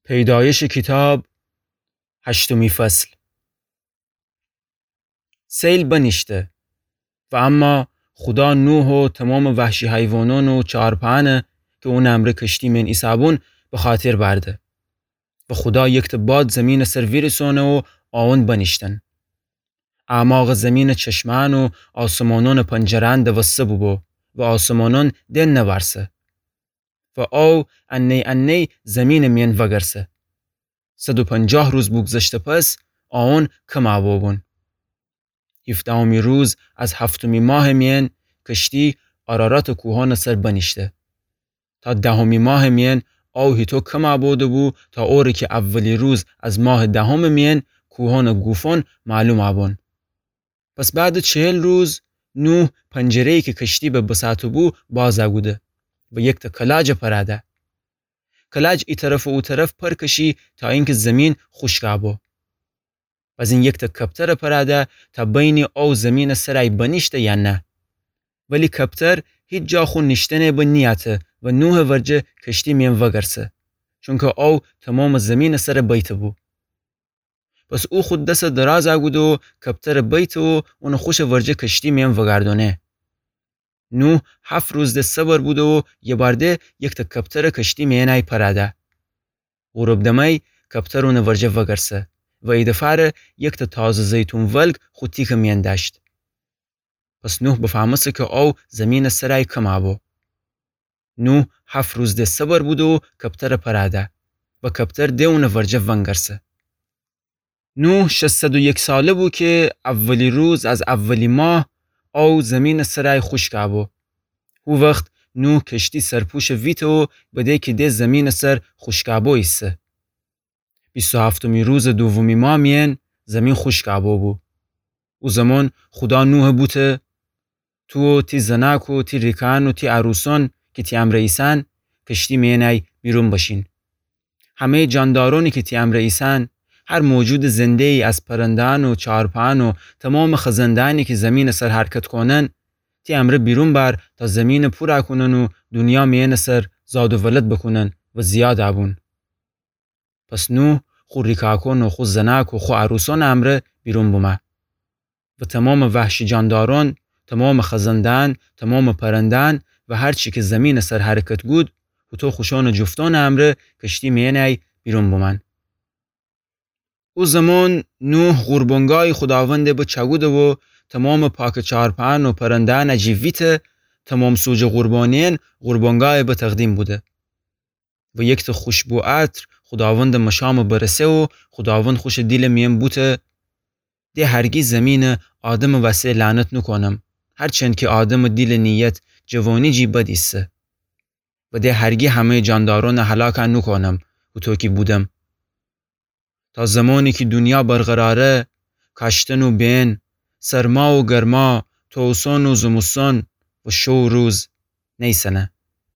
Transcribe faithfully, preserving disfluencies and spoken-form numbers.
پیدایش کیتاب، هشتمی فصل. سیل بنیشته و اما خودا نوح و تمام وحشی حیوانان و چارپانه کی اونٚ امرأ کشتی مئن ایسه‌بون بخاطر بأرده. و خودا یکته باد زمینٚ سر ویریسانه و آون بنیشتن. اعماقٚ زمینٚ چشمأن و آسمانانٚ پنجره‌أن دوسته بوبو و آسمانان دئن نوأرسه. و آو انه‌یی انه‌یی زمینٚ میأن وگرسه. صد و پنجاه روز بوگذشته پس، آون کم أبو بون. هیفدهمی روز از هفتمی ماهٚ میأن کشتی آراراتٚ کوهانٚ سر بنیشته. تا دهمی ماهٚ میأن آو هیطو کم أبو ده‌بو تا اوره کی اولی روز از ماهٚ دهمٚ میأن کوهانٚ گوفان معلوم أبون. پس بعدٚ چهل روز نوح پنجره‌یی کی کشتی به بساطه‌بو باز أکوده و یکته کلاج پراده. کلاج ای طرف و او طرف پر کشی تا اینکی زمین خوشک أبو. بزین یکته کپتر پراده تا بینی آو زمینٚ سرأی بنیشته یا نه. ولی کپتر هیچ جا خو نیشتنٚ به نیأته و نوحٚ ورجه کشتی میأن وگرسه، چونکی آو تمامٚ زمینٚ سر بیته‌بو. پس او خو دس دراز أکوده و کپتر بیته و اونٚ خوشٚ ورجه کشتی میأن وگردأنه. نوح هفت روز ده صبر بوده و یه بار ده یکته کپتر کشتی میأنأی پراده. غروب دمأی کپتر اونٚ ورجه وگرسه و ای دفعه ره یکته تازه زیتون ولگ خو تیکٚ میأن دأشت. پس نوح بفهمسته کی آو زمینٚ سرأی کم أبو. نوح هفت روز ده صبر بوده و کپتر پراده و کپتر ده اونٚ ورجه ونگرسه. نوح شصت و یک ساله بو کی اولی روز از اولی ماه آو زمینٚ سرأی خوشک أبو. هو وخت نوح کشتی سرپوشٚ ویته و بده کی ده زمینٚ سر خوشک أبو ایسه. بیست و هفتمی روزٚ دومی ماه میأن زمین خوشک أبو بو. او زمان خودا نوح بوته: تو و تی زنأک و تی ریکأن و تی عروسأن کی تی امرأ ایسن، کشتی میأنأی بیرون بشین. همه‌یٚ جاندارأنی کی تی امرأ ایسن، هر موجودٚ زنده‌یی از پرنده‌أن و چارپأن و تمامٚ خزنده‌أنی کی زمینٚ سر حرکت کونن، تی امرأ بیرون بأر تا زمینٚ پور کونن و دونیا میأنٚ سر زاد و ولد بکونن و زیاد أبون. پس نوح خو ریکأکأن و خو زنأک و خو عروسأنٚ امرأ بیرون بومه. و تمامٚ وحشی جاندارأن، تمامٚ خزنده‌أن، تمامٚ پرنده‌أن و هر چی کی زمینٚ سر حرکت کود، هوطو خوشأنٚ جفتأنٚ امرأ کشتی میأنأی بیرون بومن. او زمان نوح قربانگاهی خوداوندٚ به چأکوده و تمامٚ پاکٚ چارپأن و پرنده‌أنٚ جی ویته، تمام سوجٚ قربانی‌یأن قربانگاهٚ به تقدیم بوده. و یکته خوشبو عطر خوداوندٚ مشامٚ برسه و خوداوند خوشٚ دیلٚ میأن بوته: ده هرگی زمینٚ آدمٚ وسه لعنت نوکونم، هرچند کی آدمٚ دیلٚ نیت جوانی جی بد ایسه. و ده هرگی همه‌یٚ جاندارأنٚ هلاک نوکونم، هوطو کی بودم. تا زمانی کی دونیا برقراره، کاشتن و بئن، سرما و گرما، توسان و زمستان و شو و روز نیسنه.